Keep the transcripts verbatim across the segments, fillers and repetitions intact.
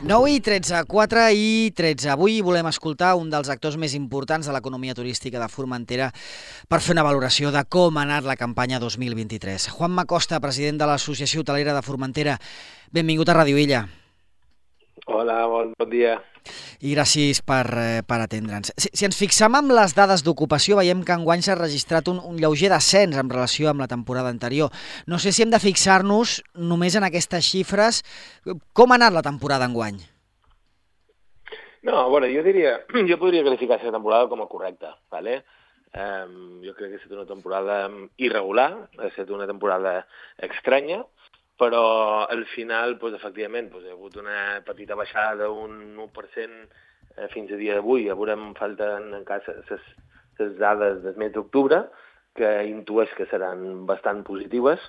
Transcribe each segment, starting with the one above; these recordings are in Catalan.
nou i tretze, quatre i tretze. Avui volem escoltar un dels actors més importants de l'economia turística de Formentera per fer una valoració de com ha anat la campanya dos mil vint-i-tres. Juanma Costa, president de l'Associació Hotelera de Formentera, benvingut a Ràdio Illa. Hola, bon, bon dia. I gràcies per, eh, per atendre'ns. Si, si ens fixam en les dades d'ocupació, veiem que enguany s'ha registrat un, un lleuger descens en relació amb la temporada anterior. No sé si hem de fixar-nos només en aquestes xifres. Com ha anat la temporada enguany? No, a veure, jo diria, jo podria qualificar aquesta temporada com a correcta, ¿vale? Um, jo crec que ha estat una temporada irregular, ha estat una temporada estranya, però al final, doncs, efectivament, doncs, hi ha hagut una petita baixada d'un u per cent eh, fins a dia d'avui. Ja veurem, falten encara les dades del mes d'octubre, que intueix que seran bastant positives,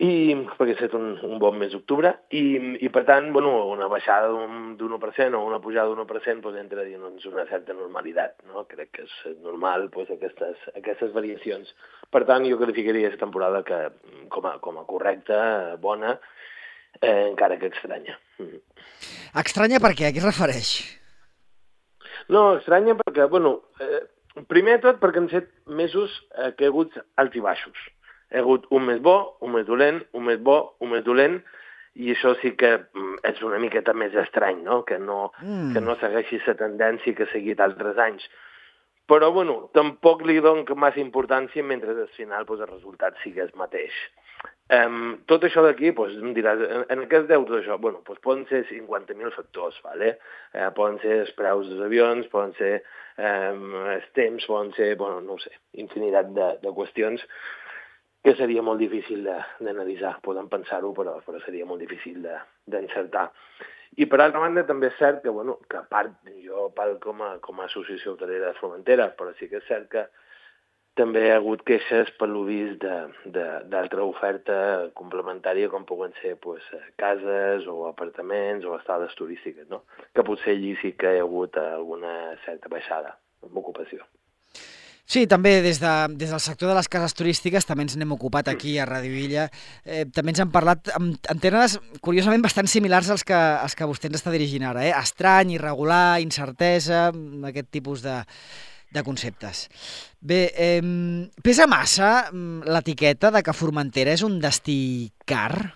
i perquè ha estat un, un bon mes d'octubre, i, i per tant, bueno, una baixada d'un u per cent o una pujada d'un u per cent doncs, entra dins una certa normalitat, no? Crec que és normal doncs, aquestes, aquestes variacions. Per tant, jo qualificaria aquesta temporada que, com, a, com a correcta, bona, eh, encara que estranya. Estranya per què? A què es refereix? No, estranya perquè, bueno, eh, primer de tot perquè han set mesos eh, que hi ha hagut alts i baixos. Hi ha hagut un mes bo, un mes dolent, un mes bo, un mes dolent, i això sí que és una miqueta més estrany, no? Que no, mm. que no segueixi la tendència que ha seguit altres anys. Però, bueno, tampoc li dono massa importància mentre al final doncs, el resultat sigui el mateix. Um, tot això d'aquí, doncs, em diràs, en, en què es deu tot això? Bueno, doncs poden ser cinquanta mil factors, ¿vale? Eh, poden ser els preus dels avions, poden ser um, els temps, poden ser, bueno, no ho sé, infinitat de, de qüestions que seria molt difícil d'analitzar. Podem pensar-ho, però, però seria molt difícil d'encertar. I per altra banda també és cert que, bueno, que a part, jo parlo com a, com a associació hotelera de Formentera, però sí que és cert que també hi ha hagut queixes per lo vist d'altra oferta complementària com poden ser pues, cases o apartaments o estades turístiques, no? Que potser allí sí que hi ha hagut alguna certa baixada en ocupació. Sí, també des, de, des del sector de les cases turístiques també ens n'hem ocupat aquí a Ràdio Illa. Eh, també ens han parlat en, en termes curiosament bastant similars als que, als que vostè ens està dirigint ara. Eh? Estrany, irregular, incertesa, aquest tipus de, de conceptes. Bé, eh, pesa massa l'etiqueta de que Formentera és un destí car?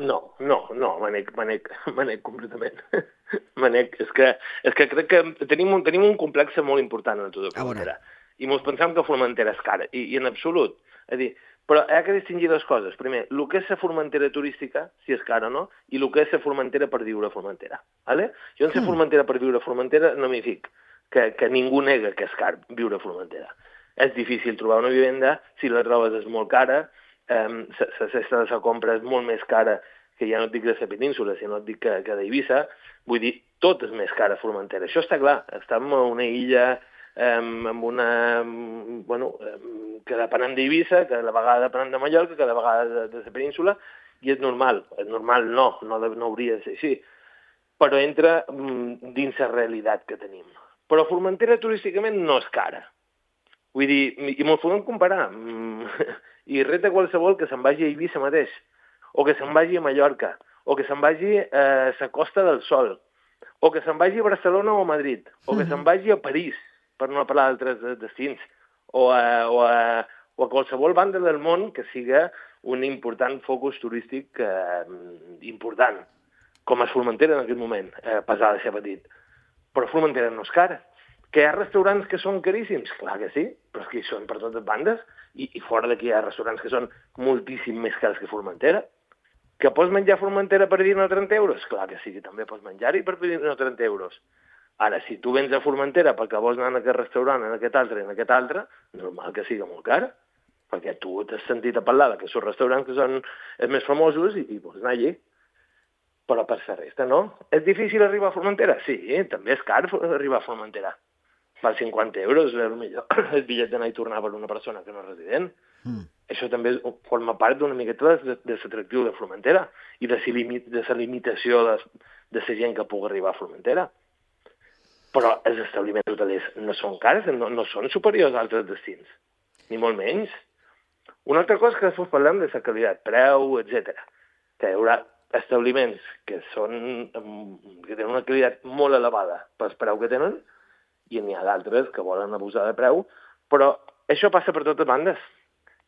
No, no, no, m'anec, m'anec, m'anec completament. M'anec, és que, és que crec que tenim un, tenim un complex molt important a tota Formentera. I ens pensem que Formentera és cara, i, i en absolut. És dir, però hi ha que distingir dues coses. Primer, el que és la Formentera turística, si és cara o no, i el que és la Formentera per viure a Formentera. ¿Vale? Jo en la Formentera per viure a Formentera no m'hi fic, que, que ningú nega que és car viure a Formentera. És difícil trobar una vivenda, si la trobes és molt cara, eh, la cesta de la compra és molt més cara que ja no et dic de la península, sinó et dic que, que d'Eivissa. Vull dir, tot és més cara a Formentera. Això està clar. Estem a una illa Um, amb una, um, bueno, um, que depenem d'Eivissa, que de vegada depenem de Mallorca, que de vegada de, de la península, i és normal. És normal, no, no, no hauria de ser així. Però entra um, dins la realitat que tenim. Però Formentera turísticament no és cara. Vull dir, i m'ho podem comparar. Um, I reta qualsevol que se'n vagi a Eivissa mateix, o que se'n vagi a Mallorca, o que se'n vagi a la Costa del Sol, o que se'n vagi a Barcelona o a Madrid, o que se'n vagi a París, per no parlar d'altres destins, o a, o, a, o a qualsevol banda del món que siga un important focus turístic eh, important, com a Formentera en aquest moment, eh, pesar de ser petit. Però Formentera no és cara. Que hi ha restaurants que són caríssims? Clar que sí, però és que hi són per totes bandes, i, i fora d'aquí hi ha restaurants que són moltíssim més cars que Formentera. Que pots menjar a Formentera per dinar trenta euros? Clar que sí, que també pots menjar-hi per dinar trenta euros. Ara, si tu vens a Formentera perquè vols anar en aquest restaurant, en aquest altre, en aquest altre, normal que sigui molt car, perquè tu t'has sentit a parlar que són restaurants que són els més famosos i, i vols anar allí. Però per la resta, no. És difícil arribar a Formentera? Sí, també és car arribar a Formentera. Val cinquanta euros, potser el bitllet d'anar i tornar per una persona que no és resident. Mm. Això també forma part d'una miqueta de, de l'atractiu de Formentera i de la limitació de, de la gent que pugui arribar a Formentera. Però els establiments hotelers no són cars, no, no són superiors a altres destins, ni molt menys. Una altra cosa que després parlem de la qualitat, preu, etcètera. Que hi haurà establiments que són que tenen una qualitat molt elevada pel preu que tenen, i n'hi ha d'altres que volen abusar de preu, però això passa per totes bandes.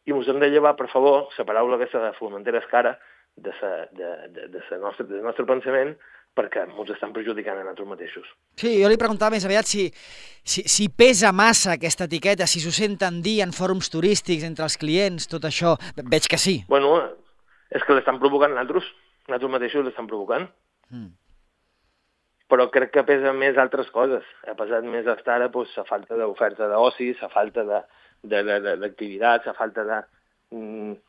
I ens hem de llevar, per favor, la paraula aquesta de Formentera és cara de sa, de, de, de sa nostre, del nostre pensament, perquè ens estan perjudicant a nosaltres mateixos. Sí, jo li preguntava més aviat si, si, si pesa massa aquesta etiqueta, si s'ho senten dir en fòrums turístics, entre els clients, tot això. Veig que sí. Bueno, és que l'estan provocant nosaltres. Nosaltres mateixos l'estan provocant. Mm. Però crec que pesa més altres coses. Ha pesat més hasta ara pues, la falta d'oferta d'oci, la falta d'activitat, la falta de... Mm,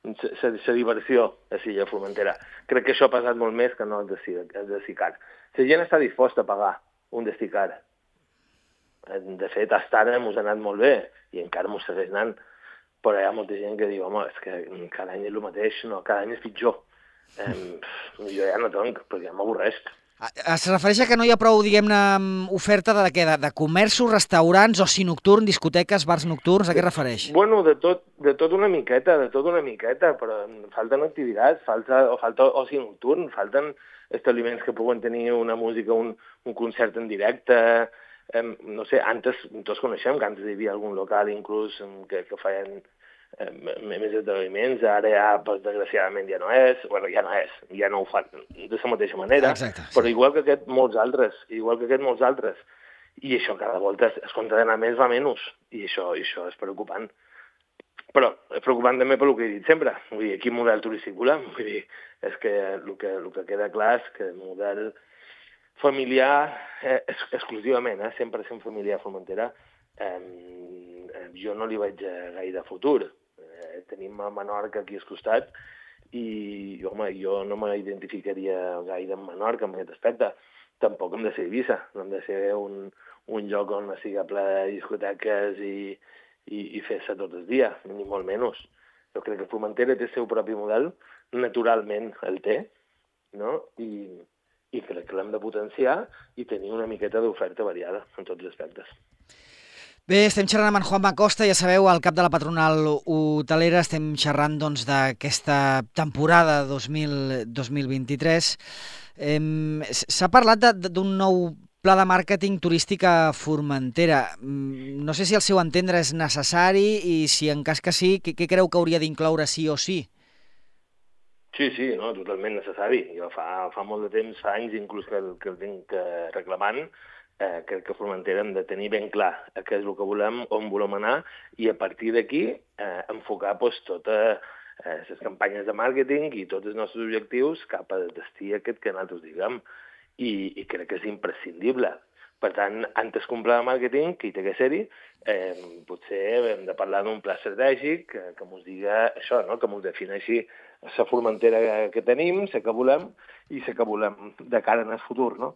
la diversió a Silla Formentera. Crec que això ha passat molt més que no el destí car. La gent està disposta a pagar un destí car. De fet, fins ara ens ha anat molt bé i encara ens segueix anant. Però hi ha molta gent que diu, home, és que cada any és el mateix, no, cada any és pitjor. Eh, jo ja no tenc, perquè ja m'avorreix. Es refereix a que no hi ha prou, diguem-ne, oferta de què? De, de comerços, restaurants, oci nocturn, discoteques, bars nocturns, a què es refereix? Bueno, de tot, de tot una miqueta, de tot una miqueta, però falten activitats, falta, o falta oci nocturn, falten establiments que puguen tenir una música, un, un concert en directe, eh, no sé, antes, tots coneixem que antes hi havia algun local inclús que, que feien eh, més esdeveniments, ara ja, pues, desgraciadament, ja no és, bueno, ja no és, ja no ho fan de la mateixa manera, exacte, sí. Però igual que aquest, molts altres, igual que aquest, molts altres. I això cada volta es compta d'anar més va menys, i això, i això és preocupant. Però és preocupant també pel que he dit sempre, vull dir, quin model turístic volem, vull dir, és que el que, el que queda clar és que el model familiar, eh, exclusivament, eh, cent per cent familiar a Formentera, eh, jo no li veig gaire futur. Eh, tenim a Menorca aquí al costat i, home, jo no m'identificaria gaire amb Menorca en aquest aspecte. Tampoc hem de ser Eivissa, no hem de ser un, un lloc on sigui ple de discoteques i, i, i fer-se tot el dia, ni molt menys. Jo crec que Formentera té el seu propi model, naturalment el té, no? I, i crec que l'hem de potenciar i tenir una miqueta d'oferta variada en tots els aspectes. Bé, estem xerrant amb en Juanma Costa, ja sabeu, al cap de la patronal hotelera, estem xerrant doncs, d'aquesta temporada dos mil vint-i-tres. Eh, S'ha parlat d'un nou pla de màrqueting turístic a Formentera. No sé si al seu entendre és necessari i si en cas que sí, què, què creu que hauria d'incloure sí o sí? Sí, sí, no, totalment necessari. Jo fa, fa molt de temps, fa anys inclús que el, que el tinc reclamant. Eh, crec que a Formentera hem de tenir ben clar què és el que volem, on volem anar, i a partir d'aquí eh, enfocar pues, totes eh, les campanyes de màrqueting i tots els nostres objectius cap al destí aquest que nosaltres diguem. I, i crec que és imprescindible. Per tant, antes que un pla de màrqueting, que hi té que ser-hi, eh, potser hem de parlar d'un pla estratègic que, que ens diga això, no? Que ens defineixi la Formentera que tenim, la que volem i la que volem de cara en el futur, no?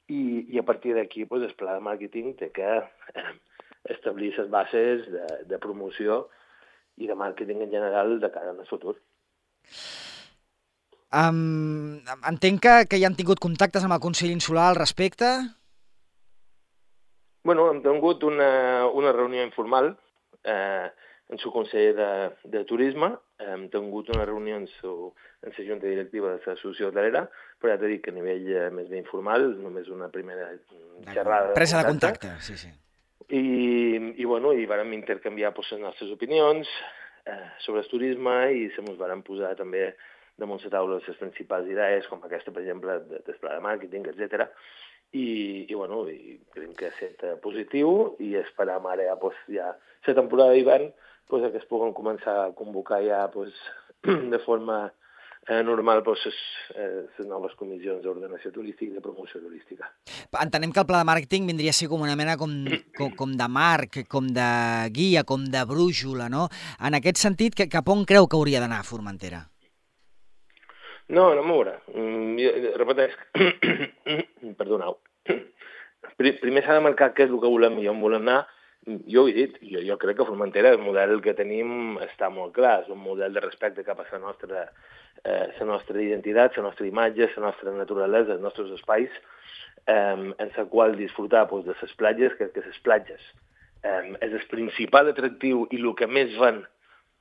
I, i a partir d'aquí pues, el pla de màrqueting té que eh, establir les bases de, de promoció i de màrqueting en general de cara al futur. Um, entenc que, que hi han tingut contactes amb el Consell Insular al respecte? Bueno, hem tingut una, una reunió informal eh, en el Consell de, de Turisme, hem tingut una reunió en, su, en la Junta Directiva de l'Associació Hotelera, però ja t'he dit que a nivell eh, més ben informal, només una primera xerrada. Presa de contacte, sí, sí. I, i bueno, i vàrem intercanviar pues, les nostres opinions eh, sobre el turisme i se mos vàrem posar també damunt la taula les principals idees, com aquesta, per exemple, de, del pla de màrqueting, etcètera. I, i bueno, i creiem que ha estat positiu i esperam ara ja, pues, ja la temporada d'hivern pues, que es puguen començar a convocar ja pues, de forma eh, normal pues, les, eh, les noves comissions d'ordenació turística i de promoció turística. Entenem que el pla de màrqueting vindria a ser com una mena com, com, com de marc, com de guia, com de brúixola, no? En aquest sentit, que, cap on creu que hauria d'anar a Formentera? No, no m'ho veurà. Mm, repeteix. Perdoneu. Primer s'ha de marcar què és el que volem i on volem anar. Jo ho he dit, jo, jo crec que a Formentera el model que tenim està molt clar, és un model de respecte cap a la nostra, eh, la nostra identitat, la nostra imatge, la nostra naturalesa, els nostres espais, eh, en la qual disfrutar pues, de les platges, crec que les platges eh, és el principal atractiu i el que més ven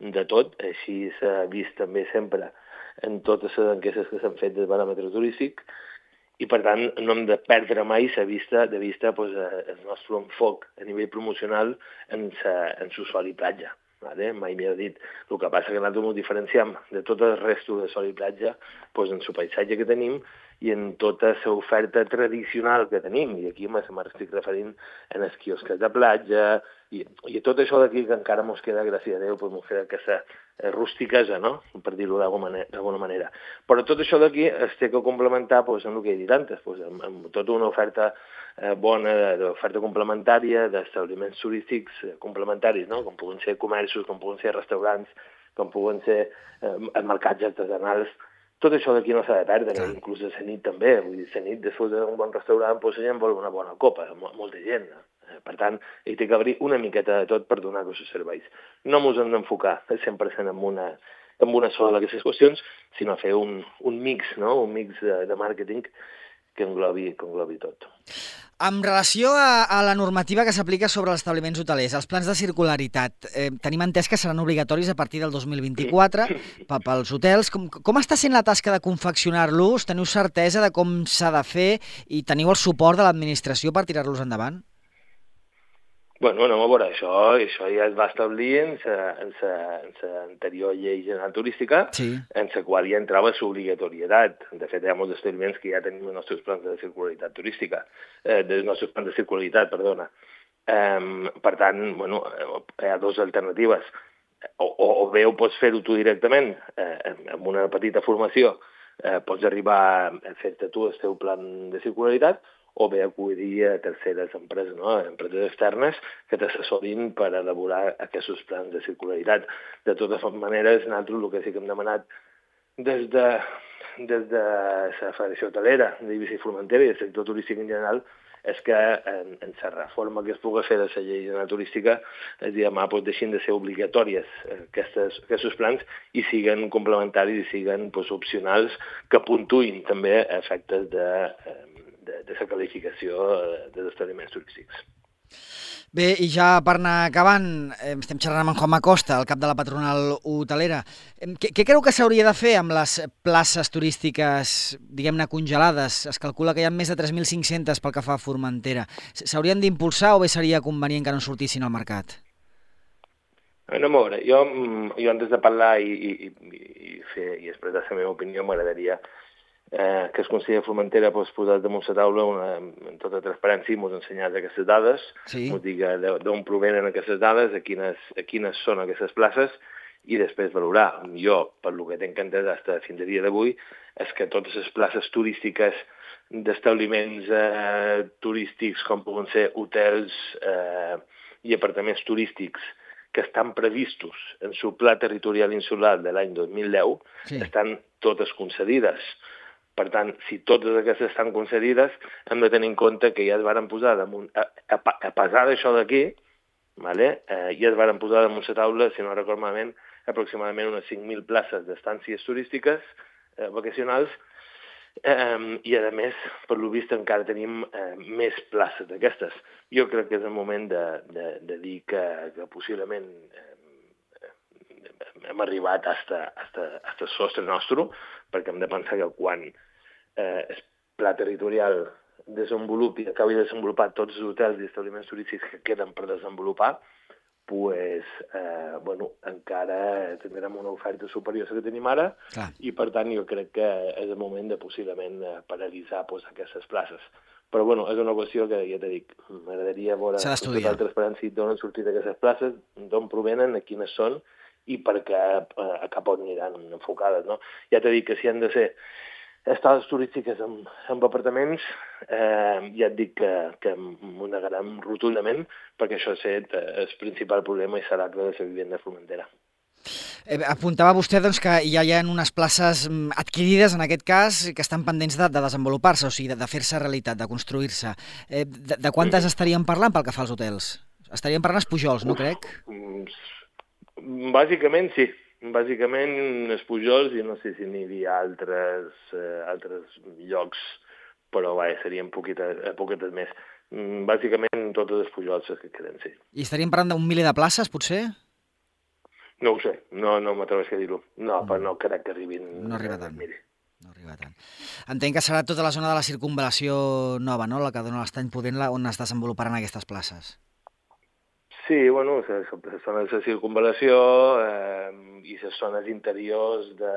de tot, així s'ha vist també sempre en totes les enquestes que s'han fet del baròmetre turístic, i per tant no hem de perdre mai la vista, de vista pues, el nostre enfoc a nivell promocional en l'usuari platja. Vale? Mai m'hi dit. El que passa que nosaltres ens diferenciem de tot el resto de sol i platja pues, en el paisatge que tenim i en tota l'oferta tradicional que tenim. I aquí m'estic referint en els quiosques de platja i, i tot això d'aquí que encara ens queda, gràcies a Déu, pues, ens queda aquesta rustiquesa, no? Per dir-ho d'alguna manera. Però tot això d'aquí es té que complementar pues, amb el que he dit antes, pues, amb, amb tota una oferta eh, bona d'oferta complementària, d'establiments turístics eh, complementaris, no? Com poden ser comerços, com poden ser restaurants, com poden ser eh, mercats artesanals. Tot això d'aquí no s'ha de perdre, sí. Inclús a la nit també. Vull dir, a la nit, després d'un bon restaurant, pues, la gent vol una bona copa, molta gent. Per tant, hi té que haver una miqueta de tot per donar aquests serveis. No ens hem d'enfocar cent per cent en una, en una sola d'aquestes qüestions, sinó fer un, un mix, no? Un mix de, de màrqueting que englobi, que englobi tot. En relació a, a la normativa que s'aplica sobre els establiments hotelers, els plans de circularitat, eh, tenim entès que seran obligatoris a partir del dos mil vint-i-quatre pels hotels. Com, com està sent la tasca de confeccionar-los? Teniu certesa de com s'ha de fer i teniu el suport de l'administració per tirar-los endavant? Bueno, anem a veure, això, això ja es va establir en l'anterior llei general turística, sí. En la qual ja entrava l'obligatorietat. De fet, hi ha molts establiments que ja tenim els nostres plans de circularitat turística, eh, dels nostres plans de circularitat, perdona. Eh, per tant, bueno, hi ha dues alternatives. O, o, o bé ho pots fer-ho tu directament, eh, amb una petita formació, eh, pots arribar a fer-te tu el teu plan de circularitat, o bé acudir a terceres empreses, no? Empreses externes que t'assessorin per elaborar aquests plans de circularitat. De totes maneres, nosaltres el que sí que hem demanat des de, des de la Federació Hotelera d'Eivissa i Formentera i del sector turístic en general és que en, en la reforma que es pugui fer de la llei general turística es demà pues, deixin de ser obligatòries aquestes, aquests plans i siguen complementaris i siguen pues, opcionals que puntuïn també efectes de... de, de la qualificació dels establiments turístics. Bé, i ja per anar acabant, eh, estem xerrant amb en Juanma Costa, el cap de la patronal hotelera. Què, què creu que s'hauria de fer amb les places turístiques, diguem-ne, congelades? Es calcula que hi ha més de tres mil cinc-centes pel que fa a Formentera. S'haurien d'impulsar o bé seria convenient que no sortissin al mercat? No, a veure, jo, jo antes de parlar i, i, i, fer, i expressar la meva opinió m'agradaria Eh, que el Consell de Formentera pues, posat damunt la taula una, en tota transparència i ens ensenyat aquestes dades, sí. Ens diga d'on provenen aquestes dades, a quines, a quines són aquestes places i després valorar. Jo, per lo que tinc entès fins fins a dia d'avui, és que totes les places turístiques d'establiments eh, turístics com poden ser hotels eh, i apartaments turístics que estan previstos en el pla territorial insular de l'any dos mil deu, sí. Estan totes concedides. Per tant, si totes aquestes estan concedides, hem de tenir en compte que ja es varen posar damunt, a, a, a pesar d'això d'aquí, vale? eh, ja es varen posar damunt la taula, si no recordo malament, aproximadament unes cinc mil places d'estàncies turístiques eh, vacacionals, eh, i a més, per lo vist, encara tenim eh, més places d'aquestes. Jo crec que és el moment de, de, de dir que, que possiblement eh, hem arribat hasta, hasta, hasta el sostre nostre, perquè hem de pensar que quan eh, el pla territorial desenvolupi i acabi de desenvolupar tots els hotels i establiments turístics que queden per desenvolupar, pues, eh, bueno, encara tindrem una oferta superior a la que tenim ara. Clar. I, per tant, jo crec que és el moment de possiblement paralitzar pues, aquestes places. Però, bueno, és una qüestió que, ja t'he dit, m'agradaria veure tota la transparència d'on han sortit aquestes places, d'on provenen, a quines són, i perquè eh, cap on aniran enfocades, no? Ja t'he dit que si han de ser estades turístiques amb, amb apartaments, eh, ja et dic que, que m'ho negarem rotundament, perquè això és el principal problema i serà que de la vivenda Formentera. Eh, apuntava vostè doncs, que ja hi ha unes places adquirides, en aquest cas, que estan pendents de, de desenvolupar-se, o sigui, de, de fer-se realitat, de construir-se. Eh, de, de quantes mm. estaríem parlant pel que fa als hotels? Estaríem parlant els Pujols, no crec? Bàsicament, sí. Bàsicament, els Pujols, i no sé si n'hi havia altres, eh, altres llocs, però vaja, serien poquetes, poquetes més. Bàsicament, totes els Pujols que queden, sí. I estaríem parlant d'un miler de places, potser? No ho sé, no, no m'atreveix a dir-ho. No, mm. però no crec que arribin... No arriba tant. Miri. No arriba tant. Entenc que serà tota la zona de la circunvalació nova, no?, la que dona l'estany pudent, on es desenvoluparan aquestes places. Sí, bueno, les zones de circunvalació eh, i les zones interiors de,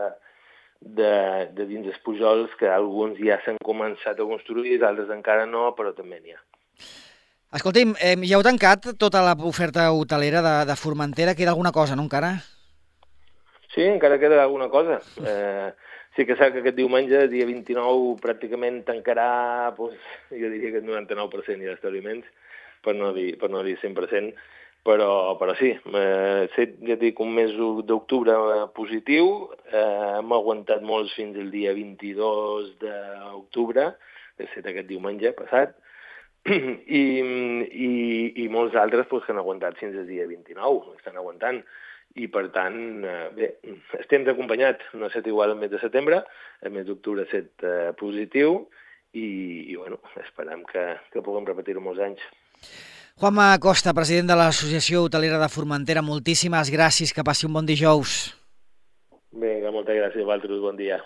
de, de dins dels Pujols, que alguns ja s'han començat a construir, altres encara no, però també n'hi ha. Escolti'm, eh, ja heu tancat tota l'oferta hotelera de, de Formentera? Queda alguna cosa, no, encara? Sí, encara queda alguna cosa. Eh, sí que sap que aquest diumenge, dia vint-i-nou, pràcticament tancarà, doncs, jo diria que el noranta-nou per cent ja d'establiments, per no dir, per no dir cent per cent, però, però sí, eh, set, ja dic, un mes d'octubre positiu, eh, hem aguantat molts fins al dia vint-i-dos d'octubre, que ha estat aquest diumenge passat, i, i, i molts altres pues, que han aguantat fins al dia vint-i-nou, estan aguantant. I, per tant, eh, bé, estem acompanyats. No ha estat igual el mes de setembre, el mes d'octubre ha estat eh, positiu i, i bueno, esperem que, que puguem repetir-ho molts anys. Juanma Costa, president de l'Associació Hotelera de Formentera, moltíssimes gràcies, que passi un bon dijous. Vinga, moltes gràcies a vosaltres, bon dia.